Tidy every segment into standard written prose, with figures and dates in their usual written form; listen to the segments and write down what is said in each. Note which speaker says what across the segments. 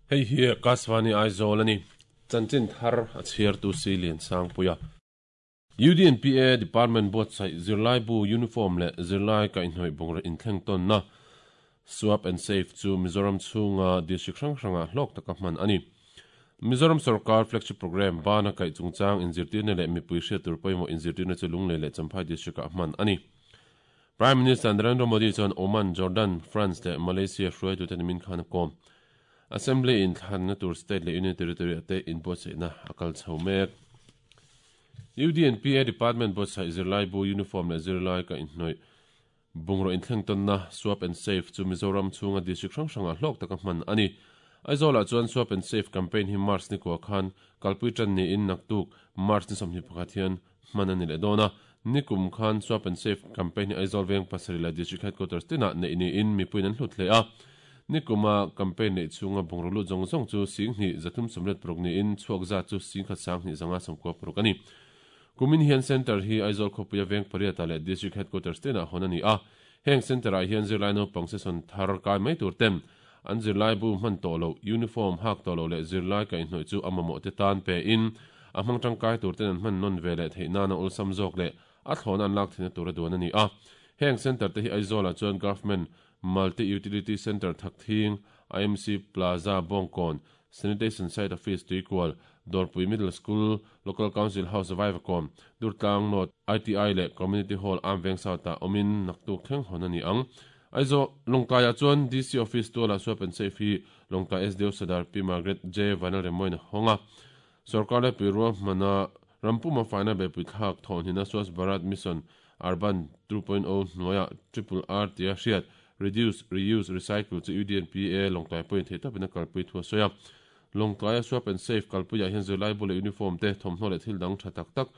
Speaker 1: Hei hi Akashvani Aizawl a ni. Chanchin thar a chhiartu si Liansangpuia. UDNPA Department buatsaih zirlaibu uniform leh zirlai kaihhnawih bungraw inthleng tawnna Swap and Save chu Mizoram chhunga district hrang hrangah hlawk taka hman a ni. Mizoram sorkar flagship programme bana kaih chungchang inzirtirna leh mipui hriat tur pawimawh inzirtirna chu Lunglei leh Champhai district-ah hman a ni. Prime Minister Narendra Modi chuan Oman, Jordan, France leh Malaysia hruaitute nimin khan a kawm. Assembly inthlanna tur state leh union territory-ah te inbuatsaihna a kal chho mek. UDNPA Department buatsaih zirlaibu uniform leh zirlai kaihhnawih bungraw inthleng tawnna Swap and Save chu Mizoram chhunga district hrang hrangah hlawk taka hman a ni. Aizawlah chuan Swap and Save campaign hi March ni kua khan kalpui tan niin naktuk March ni 21 hian hman a ni leh dawn a. Nikum khan Swap and Save campaign hi Aizawl veng pasarih leh District Headquarters tinah neih niin mipuiin an hlut hle a. Nikuma campaign neih chhunga bungraw lut zawng zawng chu 10,000 336 niin chhuak zat chu 10,100 50 a ni. Kumin hian Centre hi Aizawl khawpuia veng pariatah leh District Headquarters tinah hawn a ni a. Heng Centre-ah hian zirlai naupang session thar kai mai tur ten an zirlaibu hman tawh loh, uniform hak tawh loh leh zirlai kaihhnawih chu a mamawh te tan pe in a hmang tangkai tur ten an hman nawn ve leh theih nana awlsam zawk leh a thlawhna an lak theihna tur a duan a ni a. Heng Centre te hi Aizawlah chuan Government Multi Utility Centre Thakthing, IMC Plaza Bawngkawn, Sanitation Site Office Tuikual, Dawrpui Middle School, Local Council House Vaivakawn, Durtlang North, ITI leh Community Hall Amveng South-ah awmin naktuk thleng hawn a ni ang. Aizawl, Lawngtlaiah chuan DC Office tualah Swap and Save hi Lawngtlai SDO Sadar Pi Margaret J. Vanlalremawin a hawng a. Sorkar leh Puirual hmana rampuma faina beihpui thlak thawhhnihna Swachh Bharat Mission Urban 2.0 hnuaiah Triple R tia hriat Reduce, Reuse, Recycle chu UDNPA Lawngtlai pawhin theih tawpin a kalpui thu a sawi a. Lawngtlaia Swap and Save kalpuiah hian zirlaibu leh uniform te, thawmhnaw leh thil dang tha tak tak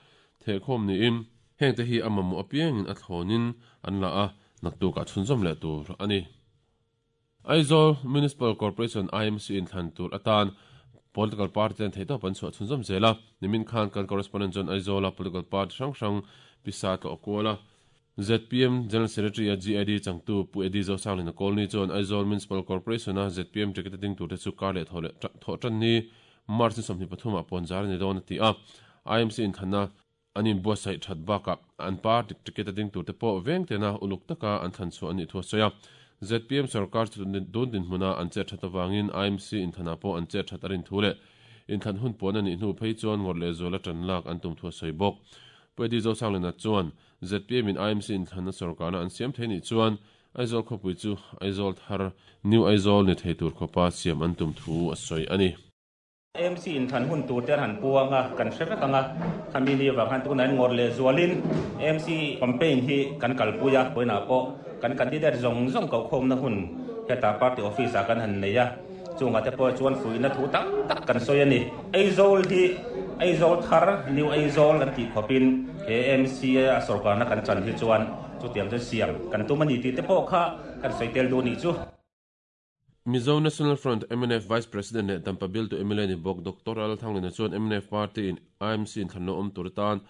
Speaker 1: thehkhawm niin, hengte hi a mamawh apiangin a thlawnin an la a, naktukah chhunzawm leh tur a ni. Aizawl Municipal Corporation, IMC, inthlan tur atan political party ten theihtawp an chhuah chhunzawm zel a. Nimin khan kan correspondent chuan Aizawla political party hrang hrang pisa tlawh kual a. Zpm General Secretary-a GID changtu Pu Eddie Zosanglina Colney chuan Aizawl Municipal Corporation-a zpm ticket a ding turte chu kar leh thawh leh thawh tan ni March ni 23 ah puanzar a ni dawn a ti a. IMC inthlanna an inbuatsaih that bakah an party ticket a ding turte pawh veng tena uluk taka an thlan chhuah a nih thu a sawi a. Zpm sorkar chu tun dinhmuna an chet that avangin IMC inthlanah pawh an chet that a rin thu leh inthlan hun puan a nih hnu phei chuan ngawrh leh zuala tan lak an tum thu a sawi bawk. Pu Eddie Zosanglina chuan zpm in IMC inthlanna sorkarna an siam thei nih chuan Aizawl khawpui chu Aizawl thar, New Aizawl, ni thei tur khawpa siam an tum thu a sawi a ni.
Speaker 2: AMC inthlan hun tur te an han puang a, kan hre vek ang a, khami ni avang khan tunah hian ngawrh leh zualin AMC campaign hi kan kalpui a, vawiinah pawh kan candidate zawng zawng kohkhawmna hun hetah party office ah kan han nei a, chungah te pawh chuan fuihna thu tam tak kan sawi a ni. Aizawl hi Aizawl thar, New Aizawl an tih khawpin he AMC a sorkarna kan chan hi chuan chutiang chu siam kan tum a ni tih te pawh kha kan sawi tel duh nih chu.
Speaker 1: Mizo National Front, mnf, Vice President leh Dampa bialtu mla ni bawk Doctor Lalthanglina chuan mnf party in IMC inthlanna awm tur atan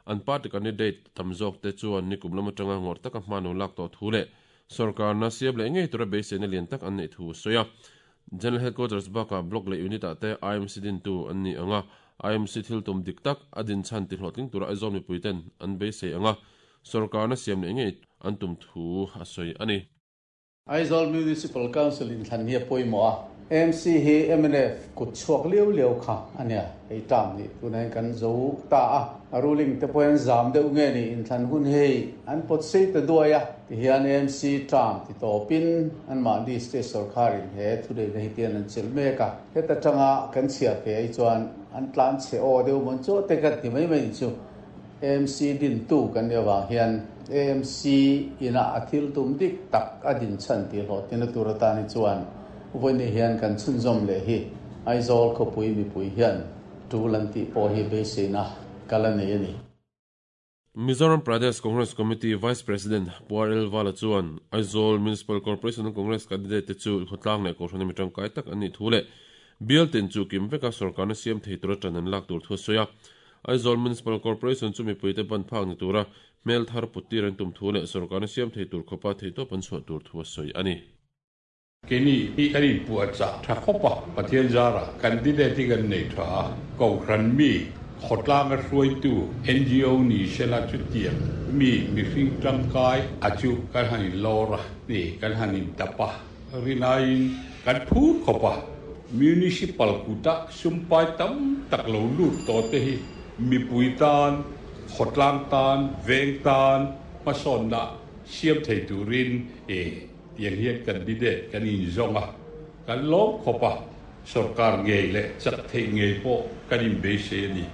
Speaker 1: an party candidate tam zawk te chuan nikum lam atanga ngawrh taka hma no lak tawh thu leh sorkarna siam leh ngei tura beiseina lian tak an neih thu a sawi a. General Headquarters bakah Block leh Unit ah te IMC dintu an ni ang a, IMC thil tum dik tak a din chhan ti hlawhtling tura Aizawl mipui ten an beisei ang a, sorkarna siam leh ngei an tum thu a sawi a ni.
Speaker 3: Aizawl Municipal Council inthlan hi a pawimawh a, AMC hi mnf kut chhuak liau liau kha a nia, hei term nih tunah hian kan zo ta a, a ruling te pawh hian zam deuh nge ni inthlan hun hei an pawt sei ta duai a, tihian AMC term ti tawpin anmahni state sorkharin he thuneihna hi tian an chelh mek a, heta tanga kan chhiar ve ai chuan an tlan chhe aw deuh mawn chaw te kan ti mai mai chu. AMC dintu kan nih avang hian AMC inah a thil tum dik tak a din chhan tih hlawhtlina tur atan hi chuan vawiin hian kan chhunzawm leh hi Aizawl khawpui mipui hian tul an tih pawh hi beiseina kal a nei a ni.
Speaker 1: Mizoram Pradesh Congress Committee Vice President Pu RL Vala chuan Aizawl Municipal Corporation Congress candidate te chu khawtlang leh kohhran ami tangkai tak an nih thu leh bial tin chu kim veka sorkarna siam thei tura tan an lak tur thu a sawi a. Aizawl Municipal Corporation chu mipuite ban phak ni tura hmel thar put tir an tum thu leh sorkarna siam thei tur khawpa theihtawp an chhuah tur thu a sawi a ni.
Speaker 4: Keini hi kan inpuahchah tha khawp a, Pathian zarah candidate hi kan nei tha a, Kohhran mi, khawtlanga hruaitu, ngo ni sela chutiang mi mihring tangkai a chu kan han inlawr a ni, kan han intap a, rinaiin kan phur khawp a. Municipal kuta sumpai tam tak lo lut tawh te hi mipui tan, khawtlang tan, veng tan hmasawnna siam thei turin e tiang hian candidate kan inzawng a, kan lawm khawp a, sorkar ngei leh chak theih ngei pawh kan inbeisei a ni.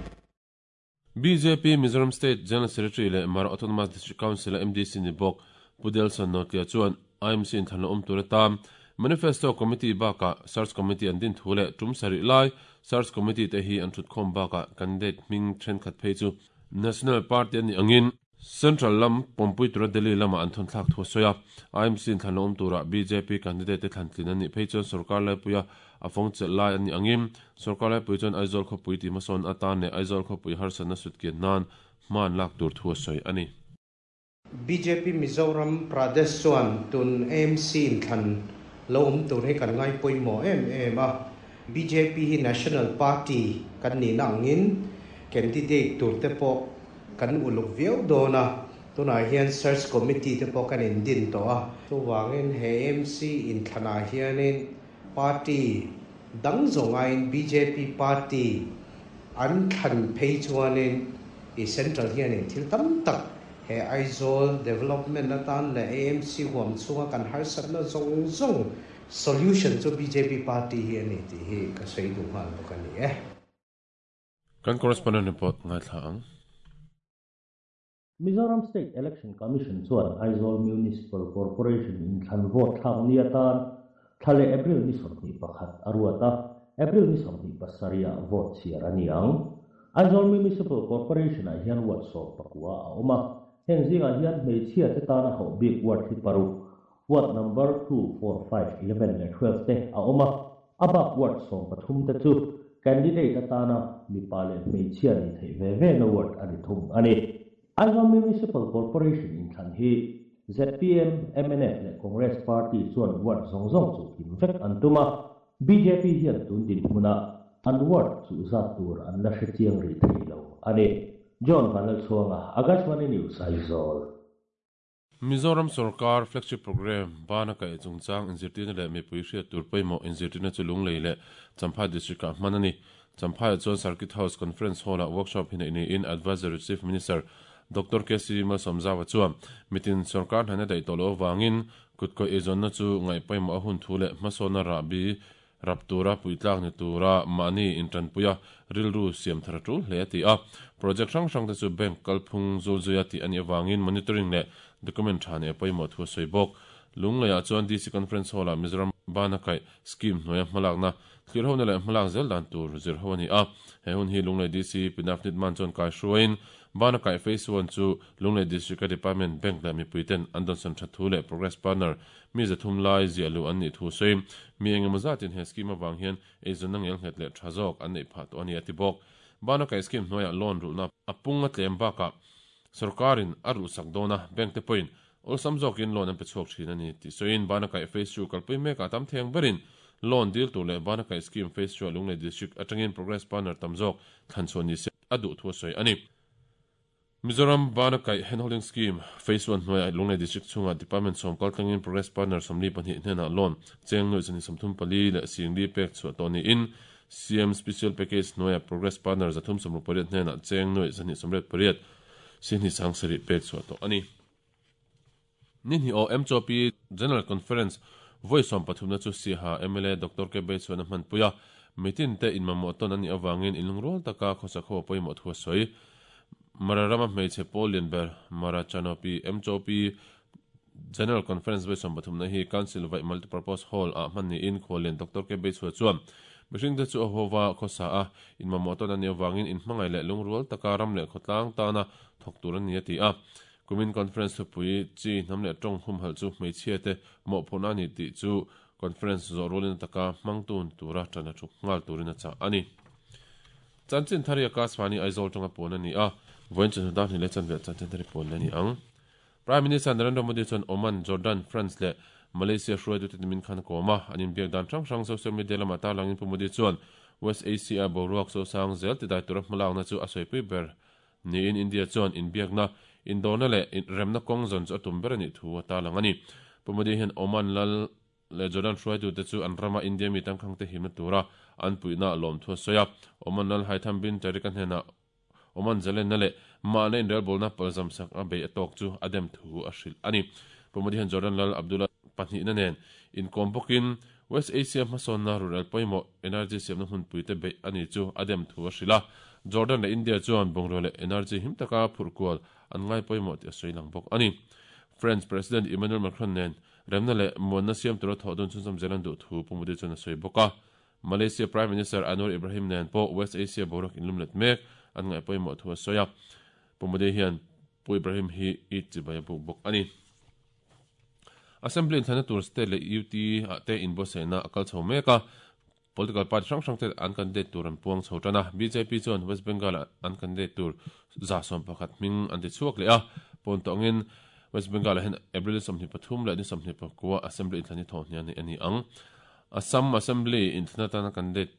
Speaker 1: Bjp Mizoram State General Secretary leh Mara Autonomous District Council-a MDC ni bawk Pu Delson Notlea chuan IMC inthlanna awm tur atan Manifesto Committee bakah Search Committee an din thu leh tum sarih lai Search Committee te hi an thutkhawm bakah candidate hming thenkhat phei chu National Party a nih angin Central lam pawmpui tura Delhi lamah an thawnthlak thu a sawi a. IMC inthlanna awm turah bjp candidate te thlantlin an nih phei chuan sorkar laipuia a fawng chelh lai an nih angin sorkar laipui chuan Aizawl khawpui tih hmasawn atan leh Aizawl khawpui harsatna sutkian nan hma an lak tur thu a sawi a ni.
Speaker 5: Bjp Mizoram Pradesh chuan tun AMC inthlan lo awm tur hi kan ngai pawimawh em em a. Bjp hi National Party kan nihna angin candidate tur te pawh kan uluk viau dawn a, tunah hian Search Committee te pawh kan indin tawh a. Chuvangin he AMC inthlanah hianin party dang zawng aiin bjp party an thlan phei chuanin i Central hianin thil tam tak he Aizawl development atan leh AMC huam chhunga kan harsatna zawng zawng solution chu bjp party hi a ni tih hi ka sawi duh nghal bawk a ni e.
Speaker 1: Kan correspondent report ngaithla ang.
Speaker 6: Mizoram State Election Commission chuan Aizawl Municipal Corporation inthlan vote thlak ni atan thla leh April ni 21 a ruat a, April ni 27 ah vote chhiar a ni ang. Aizawl Municipal Corporation-ah hian ward 19 a awm a, heng zingah hian hmeichhia te tana hauh bik ward hi paruk, ward number 2, 4, 5, 11 leh 12 te a awm a, a bak ward 13 te chu candidate atana mipa leh hmeichhia ni theih ve ve na ward a ni thung a ni. Aizawl Municipal Corporation inthlan hi ZPM, MNF leh Congress Party chuan ward zawng zawng chu kim vek an tum a, BJP hian tun dinhmuna an ward chu zat tur an la hre chiang rih thei lo a ni. John Vanlalchhuanga, Akashvani News, Aizawl.
Speaker 1: Mizoram sorkar flagship programme bana kaih chungchang inzirtirna leh mipui hriat tur pawimawh inzirtirna chu Lunglei leh Champhai District-ah hman a ni. Champhaiah chuan Circuit House Conference Hall-ah workshop hi neih niin Advisory Chief Minister Doctor KC Malsawmzaua chuan mitin sorkar hnaina daih tawh loh avangin kutkawih eizawnna chu ngaih pawimawh a hun thu leh hmasawnna rahbi rap tura puitlak ni tura mahni intanpuia rilru siam thar a tul hle a ti a. Project hrang hrang te chu bank kalphung zulzuia tih a nih avangin monitoring leh document tha neih a pawimawh thu a sawi bawk. Lungleiah chuan DC Conference Hall-ah Mizoram bana kaih scheme hnuaia hmalakna thlir hona leh hmalak zel dan tur zir ho a ni a. He hun hi Lunglei DC Pinaf Nitman chuan kai hruaiin bana kaih Phase One chu Lunglei District-a Department, Bank leh mipuiten an dawnsan that thu leh Progress Partner mi zathum lai ziah luh an nih thu sawi. Mi engemaw zatin he scheme avang hian eizawnna ngel nghet leh tha zawk an neih phah tawh a ni a ti bawk. Bana kaih scheme hnuaiah loan rulhna a pung a tlem bakah sorkarin a rulhsak dawn a, bank te pawhin awlsam zawkin loan an pe chhuak thin a ni tih sawiin bana kaih Phase 2 kalpui mekah tam theng berin loan dil tur leh bana kaih scheme Phase 2 ah Lunglei District atangin Progress Partner tam zawk thlan chhuah ni se a duh thu a sawi a ni. Mizoram bana kaih handholding scheme Phase 1 hnuaiah Lunglei District chhungah Department sawm kal tlangin Progress Partner 42 hnenah loan cheng nuaih zahnih 34 leh singli pek chhuah tawh niin CM Special Package hnuaiah Progress Partner 368 hnenah cheng nuaih zahnih 88 sihni sang sarih pek chhuah tawh a ni. Ni hnih aw MCOP General Conference vawi 13 na chu Siaha mla Doctor K Beichhuan a hmanpui a, mitin te inmamawh tawn an nih avangin inlungrual taka khawsak ho a pawimawh thu a sawi. Mara rama hmeichhe pawl lian ber Mara Chanopi MCOP General Conference vawi 13 na hi Council vaih Multipurpose Hall ah hman niin khuallian Doctor K Beichhua chuan mihring te chu a hova khawsa a, inmamawh tawn an nih avangin inhmangaih leh lungrual taka ram leh khawtlang tana thawk tur an ni a ti a. Kumin conference thupui chi hnam leh tawng humhalh chu hmeichhia te mawhphurhna a ni tih chu conference zawh rualin a taka hmang tun tura tan a thuk nghal turin a chah a ni. Chanchin thar hi Akashvani Aizawl tanga puan a ni a, vawiin chawhnu dar hnih leh chanve chanchin thar hi puan leh a ni ang. Prime Minister Narendra Modi chuan Oman, Jordan, France leh Malaysia hruaitute nimin khan a kawm a, an inbiak dan hrang hrang social media lamah tarlangin Pu Modi chuan West Asia boruak sosang zel tidai tura hmalakna chu a sawipui ber niin India chuan inbiakna, indawrna leh remna kawng zawn chu a tum ber a nih thu a tarlang a ni. Pu Modi hian Oman lal leh Jordan hruaitute chu an rama India mi tangkhangte himna tura an puihna lawmthu a sawi a. Oman lal Haitham bin Tariq-a hnenah Oman zalenna leh mahna inrelbawlna palzam sak a bei a tawk chu a dem thu a hrilh a ni. Pu Modi hian Jordan lal Abdullah pahnihna nen inkawm bawkin West Asia hmasawnna rurel pawimawh energy siamna hmunpuite beih a ni chu a dem thu a hrilh a. Jordan leh India chuan bungrua leh energy him taka phurh kual an ngai pawimawh tih a sawi lang bawk a ni. French President Emmanuel Macron nen remna leh muanna siam tura thawh dun chhunzawm zel an duh thu Pu Modi chuan a sawi bawk a. Malaysia Prime Minister Anwar Ibrahim nen pawh West Asia boruak inlum let mek an ngaih pawimawh thu a sawi a. Pu Modi hian Pu Ibrahim hi Eid chibai a buk bawk a ni. Assembly inthlana tur state leh UT ah te inbuatsaihna a kal chho mek a. Political party hrang hrang te an candidate tur an puang chho tan a. Bjp chuan West Bengal ah an candidate tur 111 hming an ti chhuak leh a. Pawn tawh angin West Bengal ah hian April 23 leh ni 29 Assembly inthlan hi thawhhniah a ni ang. Assam Assembly inthlan atana candidate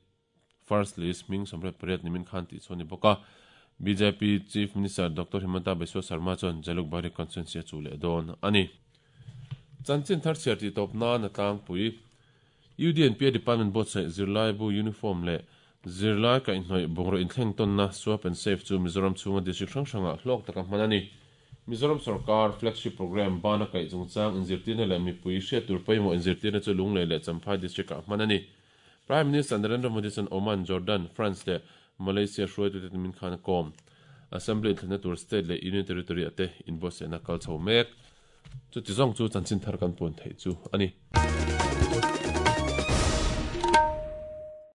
Speaker 1: first list hming 88 nimin khan tih chu a ni bawk a. Bjp Chief Minister Doctor Himanta Biswa Sarma chuan Jalukbari constituency a chuh leh dawn a ni. Chanchin thar chhiar tih tawp nan a tlangpui. UDNPA Department buatsaih zirlaibu uniform leh zirlai kaihhnawih bungraw inthleng tawnna Swap and Save chu Mizoram chhunga district hrang hrangah hlawk taka hman a ni. Mizoram sorkar flagship programme bana kaih chungchang inzirtirna leh mipui hriat tur pawimawh inzirtirna chu Lunglei leh Champhai District-ah hman a ni. Prime Minister Narendra Modi chuan Oman, Jordan, France leh Malaysia hruaitute min khan a kawm. Assembly inthlanna tur state leh union territory-ah te inbuatsaihna kal chho mek. Chuti zawng chu chanchin thar kan puan theih chu a ni.